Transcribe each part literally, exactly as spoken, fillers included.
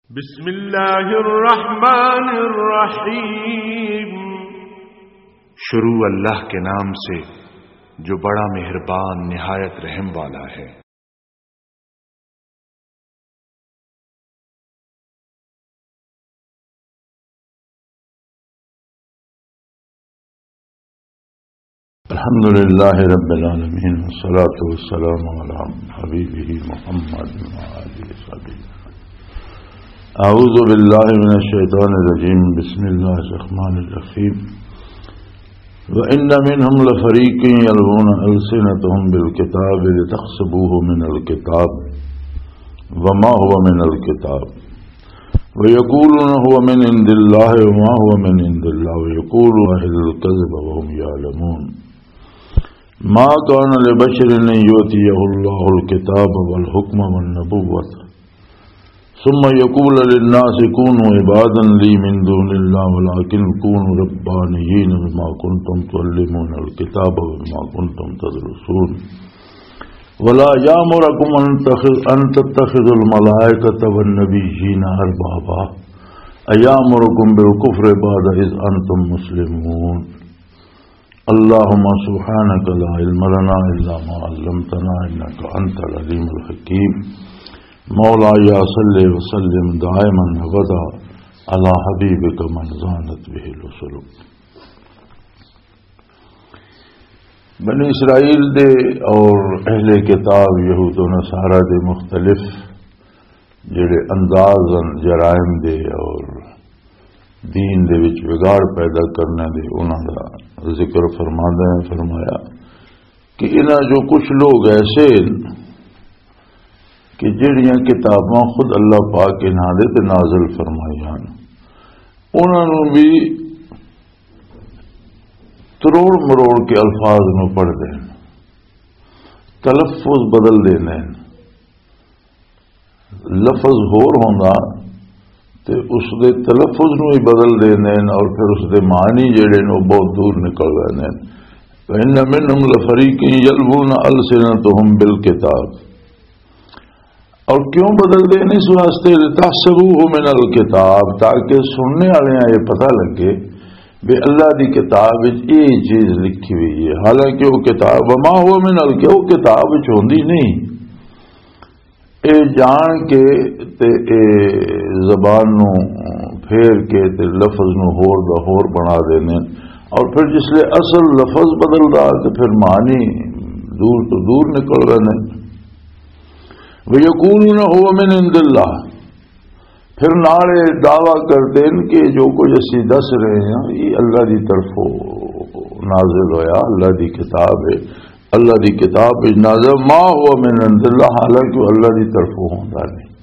بسم اللہ الرحمن الرحیم۔ شروع اللہ کے نام سے، جو بڑا مہربان، نہایت رحم والا ہے۔ الحمد لله رب العالمين، والصلاة والسلام على حبيبه محمد وعلى آله وصحبه. أعوذ بالله من الشيطان الرجيم. بسم الله الرحمن الرحيم. وإن منهم لفريقا يلوون ألسنتهم بالكتاب لتحسبوه من الكتاب وما هو من الكتاب ويقولون هو من عند الله وما هو من عند الله ويقولون أهل الكذب وهم يعلمون. ما كان لبشر أن يؤتيه الله الكتاب والحكم والنبوة ثم يقول للناس كونوا عبادا لي من دون الله ولكن كونوا ربانيين بما كنتم تعلمون الكتاب وبما كنتم تدرسون. ولا يأمركم أن تخ-، أن تتخذوا الملائكة والنبيين أربابا أيأمركم بالكفر بعد إذ أنتم مسلمون. اللهم سبحانك لا علم لنا إلا ما علمتنا إنك أنت العليم الحكيم. مولاي صل وسلم دائما أبدا على حبيبك من زانت به الوصول. بنی اسرائیل دے اور اہل کتاب یہود و نصارہ دے مختلف جڑے انداز ہن جرائم دے اور دین دے وچ بگاڑ پیدا کرنے دے، انہاں دا ذکر فرماندے ہیں، فرمایا کہ انہاں جو کچھ لوگ ایسے ہیں کہ جڑیاں کتاباں خود اللہ پاک انہاں دے تے نازل فرمائیاں، انہاں نوں بھی تروڑ مروڑ کے الفاظ نوں پڑھ دین، تلفظ بدل دیندے ہیں۔ لفظ ہور ہوندا تے اس دے تلفظ نوں ہی بدل دیندے ہیں اور پھر اس دے معنی جڑے نے وہ بہت دور نکل ویندے ہیں۔ وَإِنَّ مِنْهُمْ لَفَرِيقًا يَلْوُونَ أَلْسِنَتَهُمْ بِالْكِتَابِ۔ اور کیوں بدل دے نے اس واسطے؟ لِتَحْسَبُوهُ مِنَ الْكِتَابِ، تاکہ سننے والے یہ پتہ لگے بھی اللہ دی کتاب وچ یہ چیز لکھی ہوئی ہے، حالانکہ وہ کتاب وما هو من الکتاب، وہ کتاب وچ ہوندی نہیں۔ اے جان کے تے اے زبان نو پھیر کے تے لفظ نو ہور دا ہور بنا دینے، اور پھر جس لے اصل لفظ بدلدا تے پھر معنی دور تو دور نکل رہے نے۔ وَيَقُولُونَ هُوَ مِنْ عِنْدِ اللَّهِ، پھر نال اے دعویٰ کردے نے کہ جو کچھ اسی دس رہے ہیں، یہ اللہ دی طرفوں نازل ہویا، اللہ دی کتاب ہے، اللہ دی کتاب وچ نازل، ما هو من عند اللہ، حالانکہ وہ اللہ دی طرفوں ہوندا نہیں۔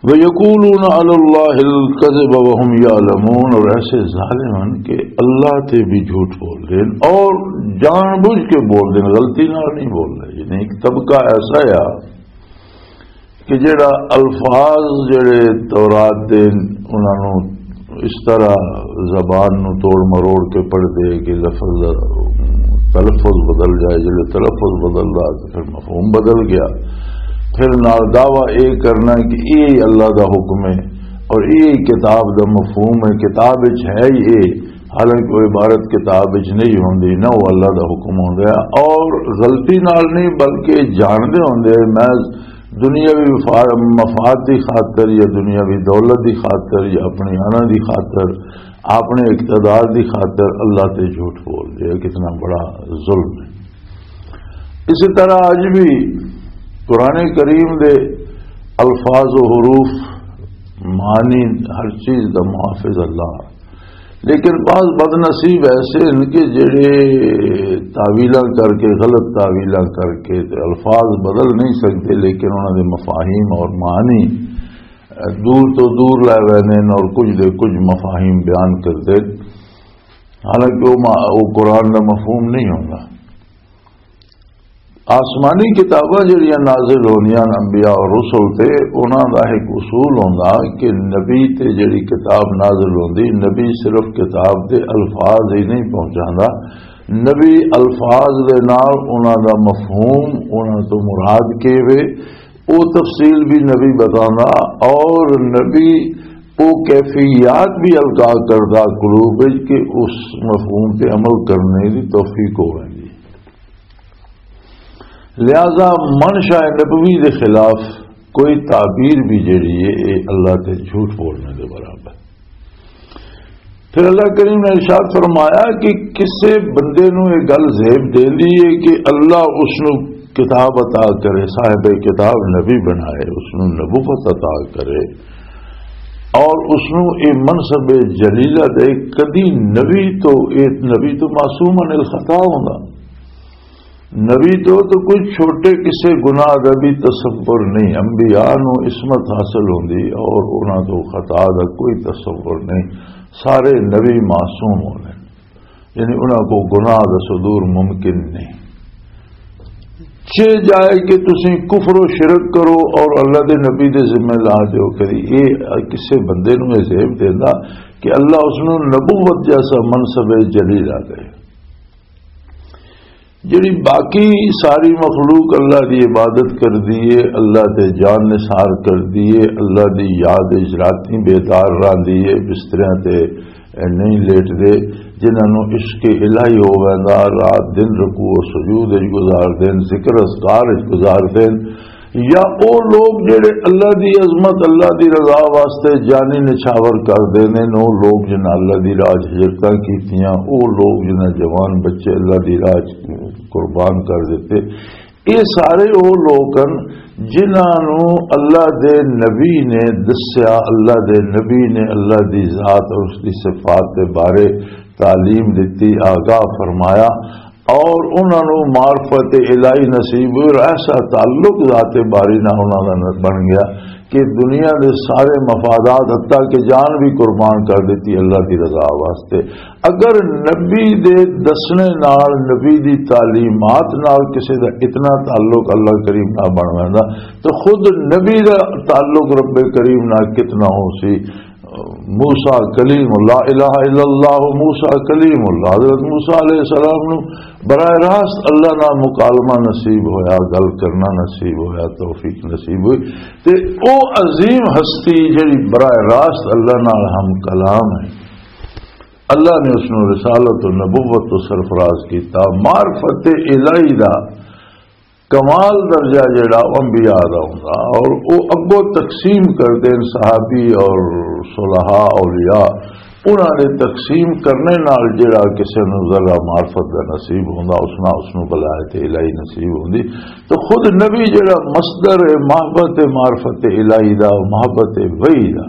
وَيَقُولُونَ عَلَى اللَّهِ الْكَذِبَ وَهُمْ يَعْلَمُونَ، اور ایسے ظالم ہیں کہ اللہ تے بھی جھوٹ بول دے اور جان بوجھ کے بول دے، غلطی نال نہیں بول رہے۔ یعنی ایک طبقہ ایسا ہے کہ جڑا الفاظ جڑے تورات دے، انہاں نوں اس طرح زبان نوں توڑ مروڑ کے پڑھ دے کہ لفظ دا تلفظ بدل جائے، جڑے تلفظ بدل دا تے پھر مفہوم بدل گیا۔ پھر نال دعویٰ اے کرنا کہ اے اللہ دا حکم ہے اور اے کتاب دا مفہوم ہے، کتاب وچ ہے ہی اے، حالانکہ وہ عبارت کتاب وچ نہیں ہوندی، نہ وہ اللہ دا حکم ہوندا ہے۔ اور غلطی نال نہیں بلکہ جاندے ہوندے ہیں، محض دنیاوی وفا-، مفاد دی خاطر یا دنیاوی دولت دی خاطر یا اپنی انا دی خاطر، اپنے اقتدار دی خاطر اللہ تے جھوٹ بول دے، کتنا بڑا ظلم ہے۔ اسی طرح اج بھی قرآن کریم دے الفاظ و حروف، معنی، ہر چیز دا محافظ اللہ، لیکن بعض بد نصیب ایسے ہیں کہ جڑے تعویلاں کر کے، غلط تعویلاں کر کے تے الفاظ بدل نہیں سکتے، لیکن انہاں دے مفاہیم اور معنی دور تو دور لے ویندے نے اور کچھ دے کچھ مفاہیم بیان کردے، حالانکہ وہ ما-، وہ قرآن دا مفہوم نہیں ہوندا۔ آسمانی کتاباں جڑیاں نازل ہوندیاں نے انبیاء اور رسل تے، انہاں دا ایک اصول ہوندا کہ نبی تے جڑی کتاب نازل ہوندی، نبی صرف کتاب دے الفاظ ہی نہیں پہنچاندا، نبی الفاظ دے نال انہاں دا مفہوم، انہاں تو مراد کے وے، وہ تفصیل بھی نبی بتانا، اور نبی وہ کیفیات بھی القا کردا قلوب وچ کہ اس مفہوم تے عمل کرنے دی توفیق ہو ویندی۔ لہذا منشا نبوی دے خلاف کوئی تعبیر بھی جڑی ہے، یہ اللہ تے جھوٹ بولنے دے برابر۔ پھر اللہ کریم نے ارشاد فرمایا کہ کسے بندے نو یہ گل زیب دے دی ہے کہ اللہ اس نو کتاب عطا کرے، صاحب کتاب نبی بنائے، اس نو نبوت عطا کرے اور اس نو یہ منصب جلیلہ دے۔ کدی نبی تو، یہ نبی تو معصوم عن الخطا ہوندا۔ نبی تو، تو کوئی چھوٹے کسے گناہ دا بھی تصور نہیں۔ انبیاء نو عصمت حاصل ہوندی اور انہاں تو خطا دا کوئی تصور نہیں۔ سارے نبی معصوم ہوندے، یعنی انہاں کو گناہ دا صدور ممکن نہیں۔ چے جائے کہ تسی کفر و شرک کرو اور اللہ دے نبی دے ذمہ لا دیو، کدی یہ کسے بندے نو یہ زیب دینا کہ اللہ اس نو نبوت جیسا منصب جلیل آ دے۔ جڑی باقی ساری مخلوق اللہ دی عبادت کر دیے، اللہ تے جان نثار کر دیے، اللہ دی یاد وچ راتیں بیدار رہندی ہے، بستریاں تے نہیں لیٹ دے، جنہاں نوں عشق الہی ہو ویندا، رات دن رکوع و سجود وچ گزار دین، ذکر اذکار وچ گزار دین، یا او لوگ جڑے اللہ دی عظمت، اللہ دی رضا واسطے جانی نچھاور کر دیندے نے، او لوگ جنہاں اللہ دی راہ 'چ ہجرتاں کیتیاں، او لوگ جنہاں جوان بچے اللہ دی راہ 'چ قربان کر دتے، یہ سارے او لوگ ہن جنہاں نوں اللہ دے نبی نے دسیا، اللہ دے نبی نے اللہ دی ذات اور اس دی صفات دے بارے تعلیم دتی، آگاہ فرمایا، اور انہاں نوں معرفت الہی نصیب ہوئی اور ایسا تعلق ذات باری نال انہاں دا بن گیا کہ دنیا دے سارے مفادات، حتیٰ کہ جان بھی قربان کر دتی اللہ دی رضا واسطے۔ اگر نبی دے دسنے نال، نبی دی تعلیمات نال کسے دا اتنا تعلق اللہ کریم نال بن ویندا، تو خود نبی دا تعلق رب کریم نال کتنا ہو سی۔ موسیٰ کلیم اللہ، الہ الا اللہ، موسیٰ کلیم اللہ، حضرت موسیٰ علیہ السلام نو براہ راست اللہ نال مکالمہ نصیب ہویا، گل کرنا نصیب ہویا، توفیق نصیب ہوئی۔ تے او عظیم ہستی جڑی براہ راست اللہ نال ہم کلام ہے، اللہ نے اس نو رسالت و نبوت تو سرفراز کیتا۔ معرفت الہی دا کمال درجہ جڑا او انبیاء دا ہوندا، اور او اگوں تقسیم کردے نے صحابی اور صلحاء اولیاء، انہاں دے تقسیم کرنے نال جڑا کسے نوں ذرہ معرفت دا نصیب ہوندا، اس نال اس نوں ولایت الہی نصیب ہوندی۔ تو خود نبی جڑا مصدر ہے محبت معرفت الہی دا، محبت وحی دا،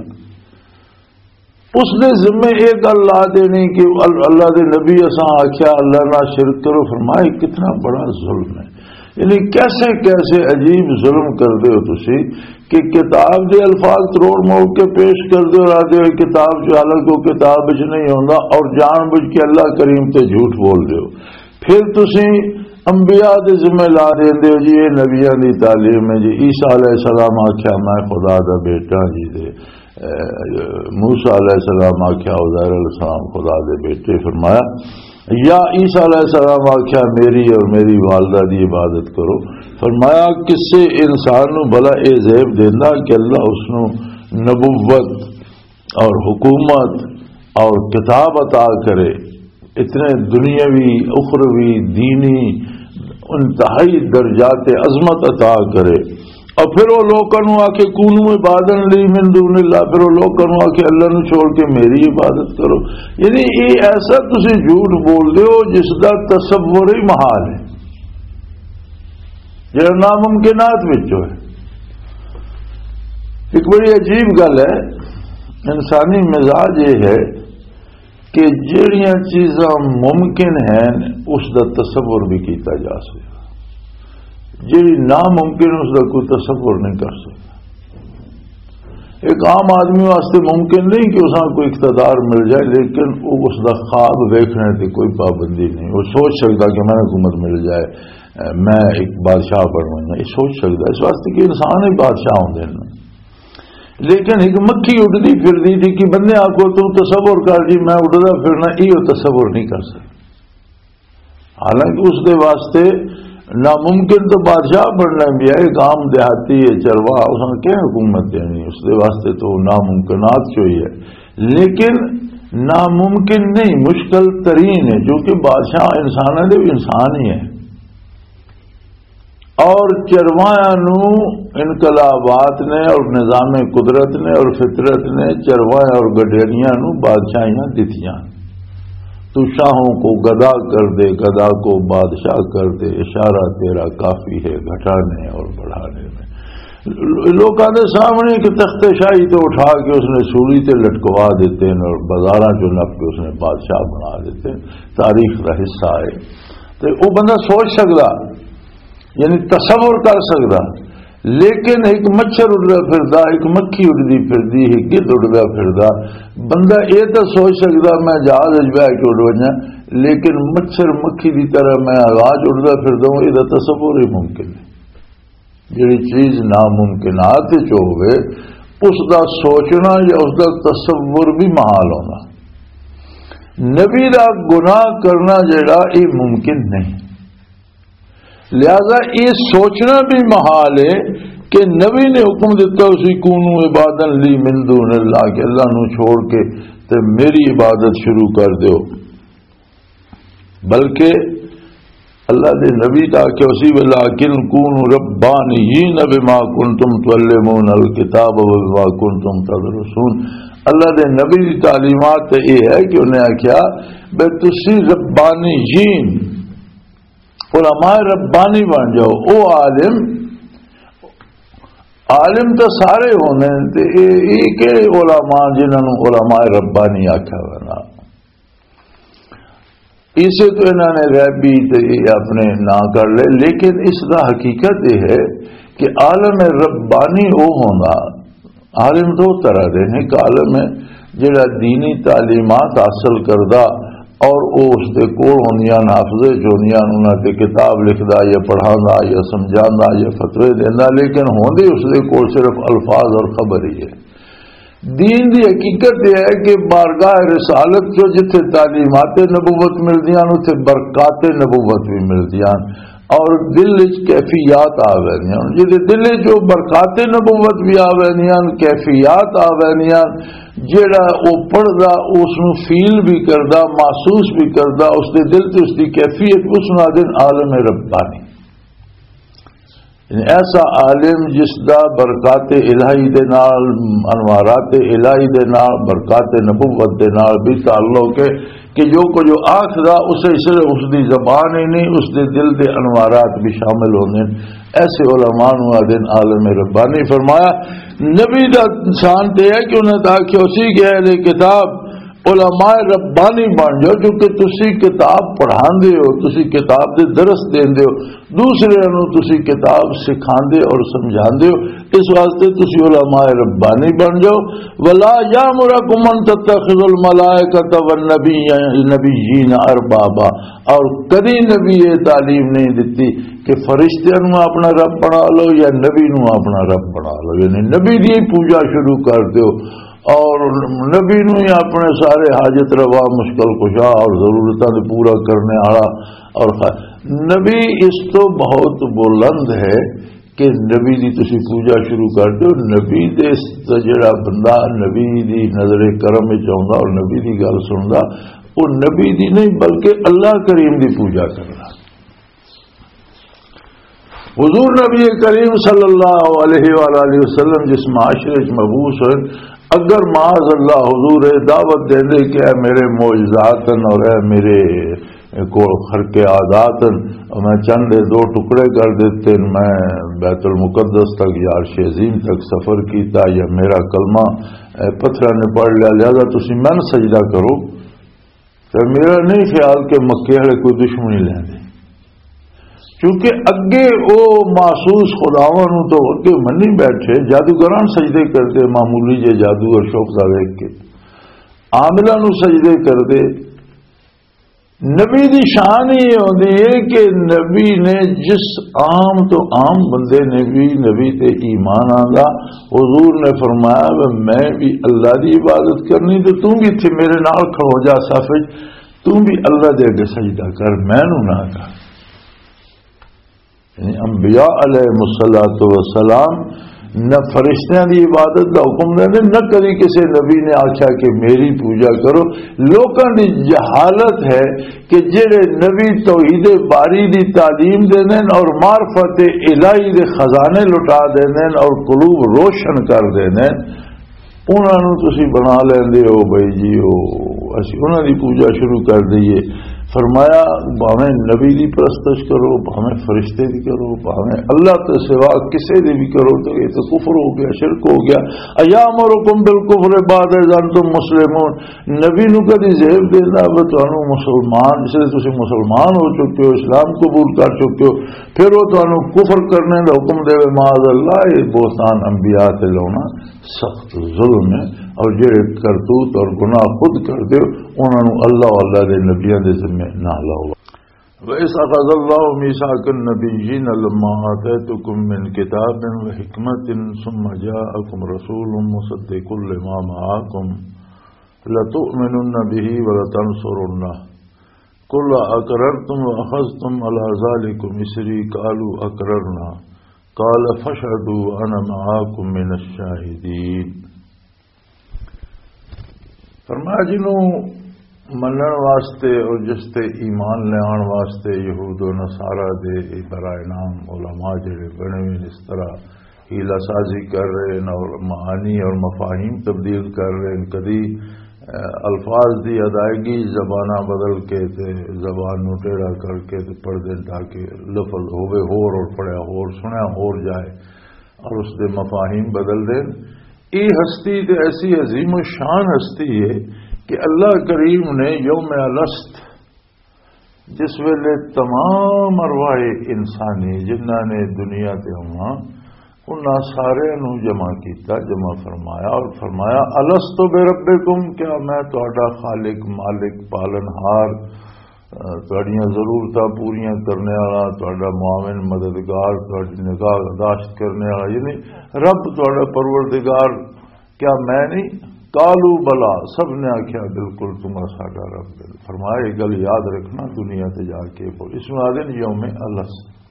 اس دے ذمے یہ گل لا دینی کہ ال-، اللہ دے نبی، اساں آکھیا اللہ نال شرک کرو، فرمایا کتنا بڑا ظلم ہے۔ یعنی کیسے کیسے عجیب ظلم کر دے ہو تسی کہ کتاب دے الفاظ تروڑ موڑ کے پیش کر دے ہو، آدھے ہو کتاب جو، حالانکہ وہ کتاب وچ نہیں ہوندا، اور جان بوجھ کے اللہ کریم تے جھوٹ بول دے ہو۔ پھر تسی انبیاء دے ذمہ لا دیندے ہو جی، یہ نبیاں دی تعلیم ہے جی، عیسیٰ علیہ السلام آکھیا میں خدا دا بیٹا جی دے، اے، موسیٰ علیہ السلام آکھیا عزیر علیہ السلام خدا دے بیٹے۔ فرمایا، یا عیسیٰ علیہ السلام آکھیا میری اور میری والدہ دی عبادت کرو۔ فرمایا، کسے انسان نو بھلا اے زیب دیندا کہ اللہ اس نو نبوت اور حکومت اور کتاب عطا کرے، اتنے دنیاوی، اخروی، دینی انتہائی درجات عظمت عطا کرے، اور پھر وہ لوکاں نوں آکھے، "کونوا عبادا لی من دون اللہ"، پھر وہ لوکاں نوں آکھے، "اللہ نوں چھوڑ کے میری عبادت کرو"۔ یعنی یہ ایسا تسی جھوٹ بول دے ہو جس دا تصور ہی محال ہے، جڑا ناممکنات وچوں ہے۔ ایک بڑی عجیب گل ہے، انسانی مزاج یہ ہے کہ جڑیاں چیزاں ممکن ہیں، اس دا تصور بھی کیتا جا سکتا، جڑی ناممکن، اس دا کوئی تصور نہیں کر سکتا۔ ایک عام آدمی واسطے ممکن نہیں کہ اساں کوئی اقتدار مل جائے، لیکن وہ، اس دا خواب ویکھنے تے کوئی پابندی نہیں۔ وہ سوچ سکتا کہ میں حکومت مل جائے، میں ایک بادشاہ بنوں، یہ سوچ سکتا، اس واسطے کہ انسان ہی بادشاہ ہوندے نے۔ لیکن ایک مکھی اڈدی پھردی تھی کہ بندے آکھو تو تصور کر جی، میں اڈدا پھرنا، یہ تصور نہیں کر سکتا۔ حالانکہ اس دے واسطے، ناممکن تو بادشاہ بننا بھی ہے، ایک عام دیہاتی ہے، چرواہا، اس نے کیا حکومت دینی؟ اس دے واسطے تو ناممکنات چوئی ہے۔ لیکن ناممکن نہیں، مشکل ترین ہے، کیونکہ بادشاہ انساناں دے بھی انسان ہی ہے۔ اور چرواہاں نو انقلابات نے اور نظام قدرت نے اور فطرت نے چرواہے اور گڈیریاں نو بادشاہیاں دتیاں۔ تو شاہوں کو گدا کر دے، گدا کو بادشاہ کر دے، اشارہ تیرا کافی ہے گھٹانے اور بڑھانے میں۔ لوکاں دے سامنے ایک تخت شاہی تو اٹھا کے اس نے سولی تے لٹکوا دیتے ہیں اور بازاراں چوں نپ کے اس نے بادشاہ بنا دیتے ہیں۔ تاریخ دا حصہ ہے۔ تے او بندہ سوچ سکدا، یعنی تصور کر سکدا، لیکن ایک مچھر اڈدا پھردا، ایک مکھی اڈدی پھردی، ایک گدھ اڈدا پھردا۔ بندہ اے تاں سوچ سکدا میں جہاز وچ بہہ کے اڈ ونجاں، لیکن مچھر مکھی دی طرح میں آواز اڈدا پھردا ہوں، اے دا تصور ہی ممکن ہے۔ جڑی چیز ناممکنات وچ ہوے، اس دا سوچنا یا اس دا تصور بھی محال ہونا۔ نبی دا گناہ کرنا جڑا، یہ ممکن نہیں۔ لہذا یہ سوچنا بھی محال ہے کہ نبی نے حکم دیتا اسی کونوا عبادا لی من دون اللہ، کہ اللہ نو چھوڑ کے تے میری عبادت شروع کر دیو۔ بلکہ اللہ دے نبی دا کہ اسی ویلاکن کونوا ربانیین بما کنتم تعلمون الکتاب و بما کنتم تدرسون۔ اللہ دے نبی دی تعلیمات تے یہ ہے کہ انہیں آکھیا بے تسی ربانیین، علماء ربانی بن جاؤ۔ او عالم، عالم تو سارے ہونے تے اے، اے کہڑے علماء جنہاں نوں علماء ربانی آکھیا ہونا؟ اسے تو انہاں نے غیبی تے اپنے نام کر لے، لیکن اس دا حقیقت یہ ہے کہ عالم ربانی وہ ہونا، عالم دو طرح دے نے۔ ایک عالم ہے جڑا دینی تعلیمات حاصل کردا اور او اس دے کول ہوندیاں، حافظے چ ہوندیاں، انہاں تے کتاب لکھدا یا پڑھاندا یا سمجھاندا یا فتوے دیندا، لیکن ہوندے اس دے کول صرف الفاظ اور خبر ہی ہے۔ دین دی حقیقت یہ ہے کہ بارگاہ رسالت چوں جتھے تعلیمات نبوت ملدیاں، اتھے برکات نبوت بھی ملدیاں، اور دل وچ کیفیات آ ویندیاں۔ جدے دل وچ او برکات نبوت بھی آ ویندیاں، کیفیات آ ویندیاں، جیڑا او پڑھدا اس نوں فیل بھی کردا، محسوس بھی کردا، اس دے دل تے اس دی کیفیت، اس نوں آدن عالم ربانی۔ یعنی ایسا عالم جس دا برکات الہی دے نال، انوارات الہی دے نال، برکات نبوت دے نال بھی تعلق ہے کہ جو کچھ وہ آکھدا، اسے صرف اس دی زبان ہی نہیں، اس دے دل دے انوارات بھی شامل ہوندے ہیں۔ ایسے علماء نوں آدن عالم ربانی۔ فرمایا، نبی دا شان تے ہے کہ انہاں دا آکھیا اسی کہ اہل کتاب علماء ربانی بن جاؤ، کیونکہ تسی کتاب پڑھاندے ہو، تسی کتاب دے درس دیندے ہو، دوسرے نوں تسی کتاب سکھاندے اور سمجھاندے ہو، اس واسطے تسی علماء ربانی بن جاؤ۔ ولا یامرکم ان تتخذوا الملائکۃ والنبی، نبیین اربابا، اور کدی نبی یہ تعلیم نہیں دتی کہ فرشتیاں نوں اپنا رب بنا لو یا نبی نوں اپنا رب بنا لو، یعنی نبی دی پوجا شروع کر دیو۔ اور نبی نوں ہی اپنے سارے حاجت روا، مشکل کشا اور ضرورتاں دے پورا کرنے والا۔ اور خ-، نبی اس تو بہت بلند ہے کہ نبی دی تسی پوجا شروع کر دو۔ نبی دے س-، جڑا بندہ نبی دی نظر کرم وچ آوندا اور نبی دی گل سندا، وہ نبی دی نہیں بلکہ اللہ کریم دی پوجا کرنا۔ حضور نبی کریم صلی اللہ علیہ وآلہ وسلم جس معاشرے وچ مبعوث ہوئے، اگر معاذ اللہ حضور یہ دعوت دیندے کہ اے میرے معجزات ہیں اور اے میرے کول خرق عادات ہیں، میں چند دو ٹکڑے کر دیتے ہیں، میں بیت المقدس تک یا عرش عظیم تک سفر کیتا یا میرا کلمہ، اے، پتھراں نے پڑھ لیا، لہذا تسی من سجدہ کرو۔ تے میرا نہیں خیال کہ مکے والے کوئی دشمنی لیندے، کیونکہ اگے او محسوس خداواں نوں تو اگے منی بیٹھے، جادوگراں نوں سجدے کردے، معمولی جے جادو اور شوق دا ویکھ کے عاملاں نوں سجدے کردے۔ نبی دی شان ہی یہ ہوندی ہے کہ نبی نے جس عام تو عام بندے نے بھی نبی تے ایمان آندا، حضور نے فرمایا، "وے میں بھی اللہ دی عبادت کرنی تے توں بھی اتھے میرے نال کھڑو جا صف وچ، توں بھی اللہ دے اگے سجدہ کر، میں نوں نہ کر۔" یعنی انبیاء علیہ الصلوۃ والسلام نہ فرشتیاں دی عبادت دا حکم دیندے، نہ کدی کسی نبی نے آکھیا کہ میری پوجا کرو۔ لوکاں دی جہالت ہے کہ جڑے نبی توحید باری دی تعلیم دیندے اور معرفت الہی دے خزانے لٹا دیندے اور قلوب روشن کر دیندے، انہاں نوں تسی بنا لیندے ہو بھائی جی، او اسی انہاں دی پوجا شروع کر دئیے۔ فرمایا، بھاویں نبی دی پرستش کرو، بھاویں فرشتے دی کرو، بھاویں اللہ تے سوا کسے دی بھی کرو، تو یہ تو کفر ہو گیا، شرک ہو گیا۔ ایامرکم بالکفر بعد اذ انتم مسلمون۔ نبی نو کدی زیب دینا، وہ تانوں مسلمان، جس لئے تسی مسلمان ہو چکے ہو، اسلام قبول کر چکے ہو، پھر وہ تانوں کفر کرنے دا حکم دے، معاذ اللہ، یہ بہتان انبیاء تے لاؤنا سخت ظلم ہے۔ اور جڑے کرتوت اور گناہ خود کردے ہو، انہاں نوں اللہ و اللہ دے نبیاں دے ذمے نہ لاؤ۔ وَإِذْ أَخَذَ اللَّهُ مِيثَاقَ النَّبِيِّينَ لَمَّا آتَيْتُكُم مِّن كِتَابٍ وَحِكْمَةٍ ثُمَّ جَاءَكُم رَّسُولٌ مُّصَدِّقٌ لِّمَا مَعَكُمْ لَتُؤْمِنُنَّ بِهِ وَلَتَنصُرُنَّهُ قَالَ أَقْرَرْتُمْ وَأَخَذْتُمْ عَلَىٰ ذَٰلِكُمْ إِصْرِي قَالُوا أَقْرَرْنَا قَالَ فَاشْهَدُوا وَأَنَا مَعَكُم مِّنَ الشَّاهِدِينَ۔ فرمایا، جنوں منن واسطے اور جس تے ایمان لیان واسطے یہود و نصارہ دے اے برائے نام علماء جڑے بنے ہوئے اس طرح حیلہ سازی کر رہے ہیں اور معانی اور مفاہیم تبدیل کر رہے ہیں، کدی، اے، الفاظ دی ادائیگی زبانہ بدل کے تے زبان نو ٹیڑھا کر کے تے پڑھ دیں تاکہ لفظ ہوے ہور اور پڑھیا ہور سنیا ہور جائے اور اس دے مفاہیم بدل دیں۔ یہ ہستی تے ایسی عظیم و شان ہستی ہے کہ اللہ کریم نے یوم الست، جس ویلے تمام ارواح انسانی جنہاں نے دنیا تے آنا، انہاں سارے نو جمع کیتا، جمع فرمایا اور فرمایا، "الست بربکم، کیا میں تہاڈا خالق، مالک، پالن ہار، اہ، تہاڈیاں ضرورتاں پوریاں کرنے والا، تہاڈا معاون، مددگار، تہاڈی نگاہ داشت کرنے والا، یعنی رب تہاڈا پروردگار، کیا میں نہیں؟" قالوا بلا، سب نے آکھیا، "بالکل تم ساڈا رب ہے۔" فرمایا، یہ گل یاد رکھنا، دنیا تے جا کے بول، اس میں آدھے نے یوم الست۔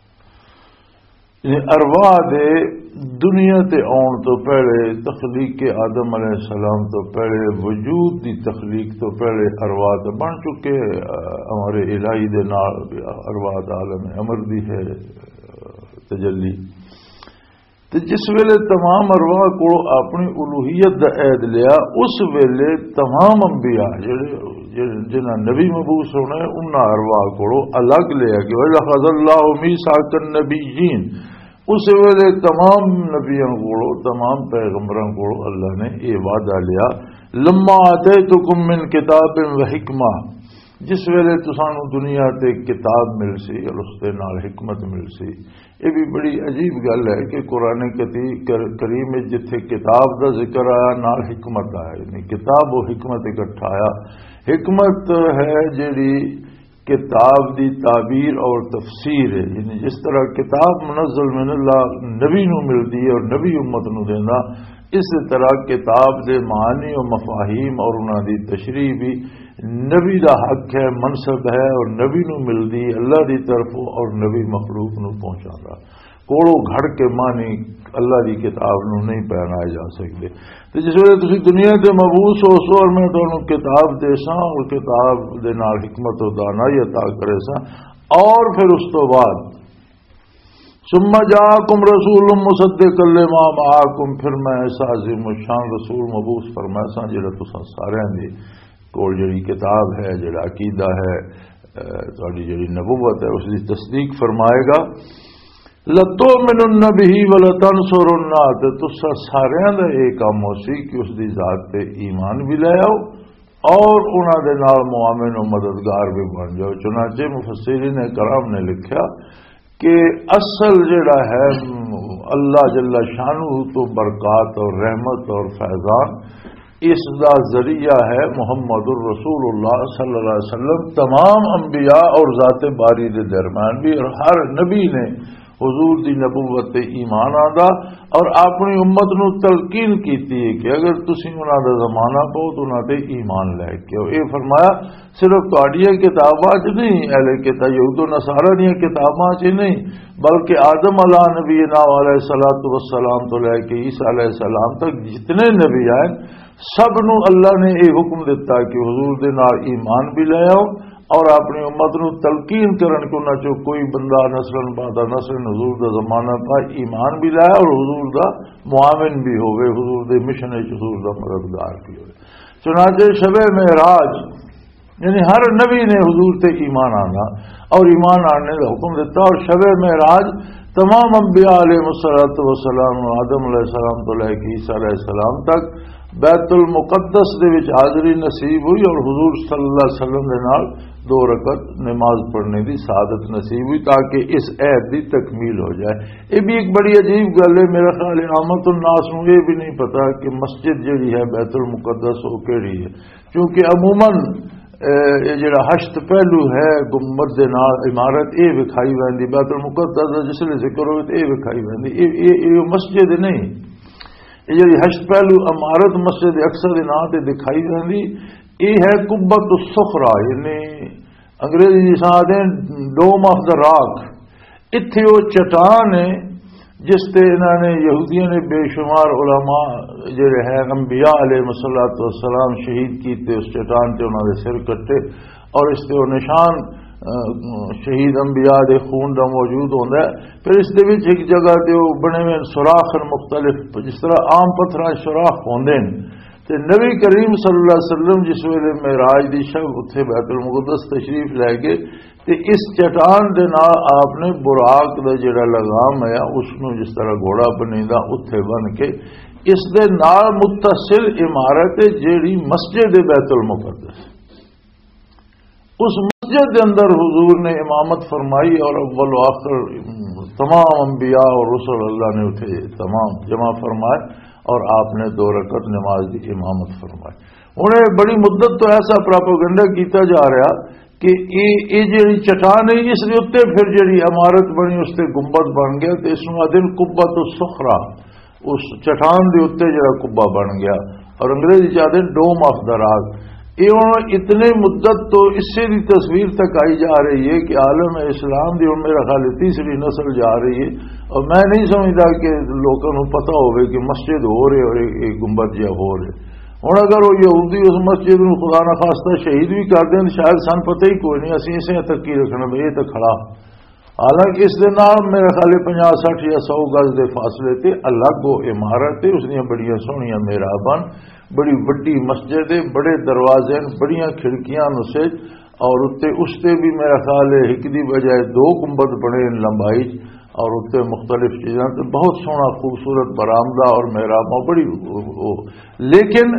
یعنی ارواح دے دنیا تے آن تو پہلے، تخلیق آدم علیہ السلام تو پہلے، وجود دی تخلیق تو پہلے ارواح تے بن چکے، اہ، ہمارے الہی دے نال ارواح دا عالم امر دی ہے، اہ، تجلی۔ تے جس ویلے تمام ارواح کو اپنی الوہیت دا عہد لیا، اس ویلے تمام انبیاء جڑے، جڑے، جنہاں نبی مبعوث ہونا ہے، انہاں ارواح کو الگ لیا کہ وَإِذْ أَخَذَ اللَّهُ مِيثَاقَ النَّبِيِّينَ۔ اس ویلے تمام نبیاں کو، تمام پیغمبراں کو اللہ نے یہ وعدہ لیا، لما آتیتکم من کتاب و حکمہ، جس ویلے تسانوں دنیا تے کتاب مل سی اور اس دے نال حکمت مل سی۔ یہ بھی بڑی عجیب گل ہے کہ قرآن کتی-، کر-، کریم وچ جتھے کتاب دا ذکر آیا، نال حکمت آیا، یعنی کتاب و حکمت اکٹھا آیا۔ حکمت ہے جڑی کتاب دی تعبیر اور تفسیر ہے، یعنی جس طرح کتاب منزل من اللہ نبی نو ملدی ہے اور نبی امت نو دیندا، اس طرح کتاب دے معانی و مفاہیم اور انہاں دی تشریح بھی نبی دا حق ہے، منصب ہے اور نبی نو ملدی اللہ دی طرفوں اور نبی مخلوق نو پہنچاندا۔ کوڑوں گھڑ کے معنی اللہ دی کتاب نو نہیں پہنائے جا سکدے۔ تے جس ویلے تسی دنیا تے مبعوث ہو سو اور میں تانوں کتاب دے ساں اور کتاب دے نال حکمت و دانائی عطا کرے ساں، اور پھر اس تو بعد ثم جاءکم رسول مصدق لما معکم، پھر میں ایسا عظیم الشان رسول مبعوث فرمایا سا جڑا تساں سارے دے کول جڑی کتاب ہے، جڑا عقیدہ ہے، اے، تہاڈی جڑی نبوت ہے، اس دی تصدیق فرمائے گا۔ لَتُؤْمِنُنَّ بِهِ وَلَتَنْصُرُنَّهُ، تے تساں ساریاں دا یہ کام ہو سی کہ اس دی ذات تے ایمان بھی لے آؤ اور انہاں دے نال معاون و مددگار بھی بن جاؤ۔ چنانچہ مفسرین کرام نے لکھیا کہ اصل جڑا ہے اللہ جل شانہ تو برکات اور رحمت اور فیضان، اس دا ذریعہ ہے محمد الرسول اللہ صلی اللہ علیہ وسلم۔ تمام انبیاء اور ذات باری دے درمیان بھی، اور ہر نبی نے حضور دی نبوت تے ایمان آندا اور اپنی امت نو تلقین کیتی ہے کہ اگر تسی انہاں دا زمانہ پاؤ تو انہاں تے ایمان لے کے آؤ۔ اے فرمایا، صرف تہاڈیاں کتاباں چ نہیں، اہل کتاب یہود و نصارہ دیاں کتاباں چ نہیں، بلکہ آدم علیہ نبینا علیہ الصلوۃ والسلام تو لے کے عیسیٰ علیہ السلام تک جتنے نبی آئے، سب نو اللہ نے یہ حکم دیتا کہ حضور دے نال ایمان بھی لے آؤ اور اپنی امت نو تلقین کرن کہ انہاں چوں کوئی بندہ نسلاً بعد نسلاً حضور دا زمانہ پا ایمان بھی لائے اور حضور دا معاون بھی ہوئے، حضور دے مشن وچ حضور دا مددگار بھی ہوئے۔ چنانچہ شب معراج، یعنی ہر نبی نے حضور تے ایمان آنا اور ایمان آنے دا حکم دیتا، اور شب معراج تمام انبیاء علیہ الصلوۃ والسلام، آدم علیہ السلام تو لے کے عیسیٰ علیہ السلام تک بیت المقدس دے وچ حاضری نصیب ہوئی اور حضور صلی اللہ علیہ وسلم دے نال دو رکعت نماز پڑھنے دی سعادت نصیب ہوئی، تاکہ اس عہد دی تکمیل ہو جائے۔ یہ بھی ایک بڑی عجیب گل ہے۔ میرا خیال ہے عامت الناس نوں یہ بھی نہیں پتا کہ مسجد جڑی ہے بیت المقدس وہ کیڑی ہے، کیونکہ عموماً، اے، یہ جڑا ہشت پہلو ہے گنبد دے نال عمارت، یہ وکھائی ویندی، بیت المقدس دا جس لے ذکر ہوئے تو یہ وکھائی ویندی، یہ، یہ، یہ مسجد نہیں۔ یہ جڑی ہشت پہلو عمارت مسجد اقصی دے نام تے دکھائی ویندی، یہ ہے قبۃ الصخرہ، یعنی انگریزی جس آدھے ڈوم آف دا راک۔ اتھے وہ چٹان ہے جس تے انہاں نے، یہودیاں نے بے شمار علماء جڑے ہیں، انبیاء علیہ الصلوۃ والسلام شہید کیتے، اس چٹان تے انہاں دے سر کٹے، اور اس تے وہ نشان، آ، شہید انبیاء دے خون دا موجود ہوندا ہے۔ پھر اس دے وچ ایک جگہ تے وہ بنے ہوئے سوراخ ہیں مختلف، جس طرح عام پتھراں سوراخ ہوندے ہیں۔ تے نبی کریم صلی اللہ علیہ وسلم جس ویلے معراج دی شب اتھے بیت المقدس تشریف لے گئے، تے اس چٹان دے نال آپ نے براق دا جڑا لگام ہے، اس نوں جس طرح گھوڑا بنیندا، اتھے بن کے اس دے نال متصل عمارت ہے، جیڑی مسجد بیت المقدس۔ اس مسجد دے اندر حضور نے امامت فرمائی اور اول و آخر تمام انبیاء اور رسل اللہ نے اتھے تمام جمع فرمائے اور آپ نے دو رکعت نماز دی امامت فرمائی۔ ہن یہ بڑی مدت تو ایسا پروپیگنڈا کیتا جا رہا کہ یہ، یہ جڑی چٹان ہے، اس دے اوتے پھر جڑی عمارت بنی، اس تے گنبد بن گیا، تے اس نوں آدھے نے قبۃ الصخرہ، اس چٹان دے اوتے جڑا قبہ بن گیا، اور انگریزی چ آدھے نے ڈوم آف دا راک۔ یہ ہن اتنے مدت تو اسے دی تصویر تک آئی جا رہی ہے کہ عالم اسلام دی ہن میرا خیال ہے تیسری نسل جا رہی ہے، اور میں نہیں سمجھدا کہ لوکاں نوں پتہ ہوے کہ مسجد ہو رہے اور یہ، یہ گنبد جہا ہو رہے۔ ہن اگر وہ یہودی اس مسجد نوں خدا نخواستہ شہید بھی کر دین، شاید سن پتہ ہی کوئی نہیں، اسی اسے تک کی رکھنا بھی یہ تو کھڑا۔ حالانکہ اس دے نال میرے خیال پنجاہ سٹھ یا سو گز دے فاصلے تے الگ وہ عمارت ہے، اس دیاں بڑیاں سوہنیاں محراباں، بڑی وڈی مسجد ہے، بڑے دروازے ہیں، بڑیاں کھڑکیاں نسج، اور اتے، اس تے بھی میرا خیال ہے ایک دی بجائے دو گنبد بنے ہیں لمبائی، اور اتے مختلف چیزاں تے بہت سوہنا خوبصورت برآمدہ اور محراباں بڑی، لیکن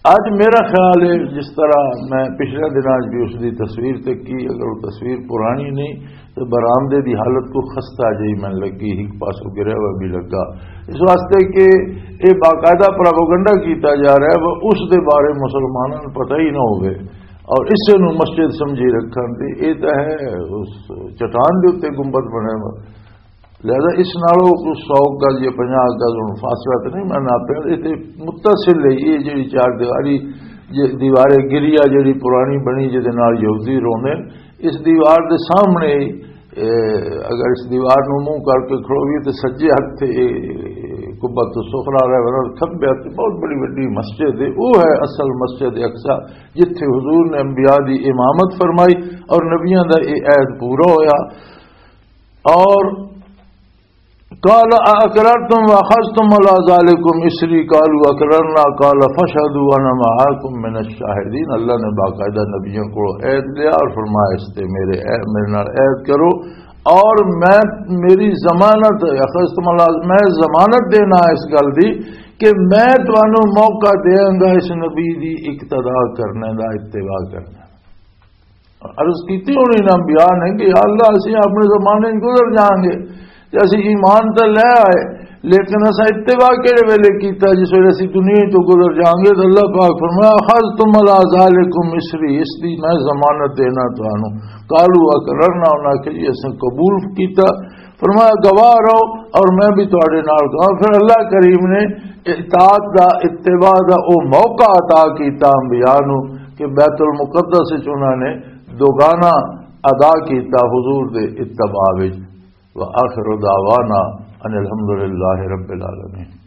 اج میرا خیال ہے، جس طرح میں پچھلے دناں 'چ بھی اس دی تصویر تکی، اگر وہ تصویر پرانی نہیں تو برآمدے دی حالت کو خستہ جہی میں لگی، ایک پاسوں گریا ہوا بھی لگا، اس واسطے کہ یہ باقاعدہ پروپیگنڈا کیتا جا رہا ہے، وہ اس دے بارے مسلمانوں نوں پتہ ہی نہ ہوئے اور اسے نوں مسجد سمجھی رکھن تے۔ یہ تو ہے اس چٹان دے اوتے گنبد بنے ہوا، لہذا اس نالوں کوئی سو گز یا پنجاہ گز ہن فاصلہ تے نہیں، میں ناپیا، یہ تے متصل ہے۔ یہ جڑی چار دیواری، یہ دیوار گریا جڑی پرانی بنی، جدے نال یہودی روندے، اس دیوار دے سامنے، اے، اگر اس دیوار نوں منہ کر کے کھڑویے تے سجے ہتھ تے، اے، قبۃ الصخرہ رہے، ورنہ کھبے ہتھ تے بہت بڑی وڈی مسجد ہے۔ وہ ہے اصل مسجد اقصی، جتھے حضور نے انبیاء دی امامت فرمائی اور نبیاں دا یہ عہد پورا ہویا۔ اور قال اقررتم واخذتم على ذلكم اصري، قالوا اقررنا، قال فاشهدوا وانا معكم من الشاهدين۔ اللہ نے باقاعدہ نبیوں کو عہد لیا اور فرمایا، اس تے میرے عہد، میرے نال عہد کرو، اور میں، میری ضمانت، اخذتم على، میں ضمانت دینا اس گل دی کہ میں تانوں موقع دیاں گا اس نبی دی اقتدا کرنے دا، اتباع کرنے دا۔ عرض کیتی ہونی انہاں انبیاء نے کہ یا اللہ، اسی اپنے زمانے وچ گزر جاؤں گے تے اسی ایمان تے لے آئے، لیکن اساں اتباع کہڑے ویلے کیتا؟ جس ویلے اسی دنیا تو گزر جاؤں گے۔ تو اللہ پاک فرمایا، اخذتم على ذلكم اصري، اس دی میں ضمانت دینا تانوں۔ قالوا اقررنا، انہاں کہ جی اساں قبول کیتا۔ فرمایا، "گواہ رہو اور میں بھی تہاڈے نال گواہ۔" پھر اللہ کریم نے اطاعت دا، اتباع دا او موقع عطا کیتا انبیاء نو کہ بیت المقدس وچ انہاں نے دوگانا ادا کیتا حضور دے اتباع وچ۔ وآخر دعوانا ان الحمدللہ رب العالمین۔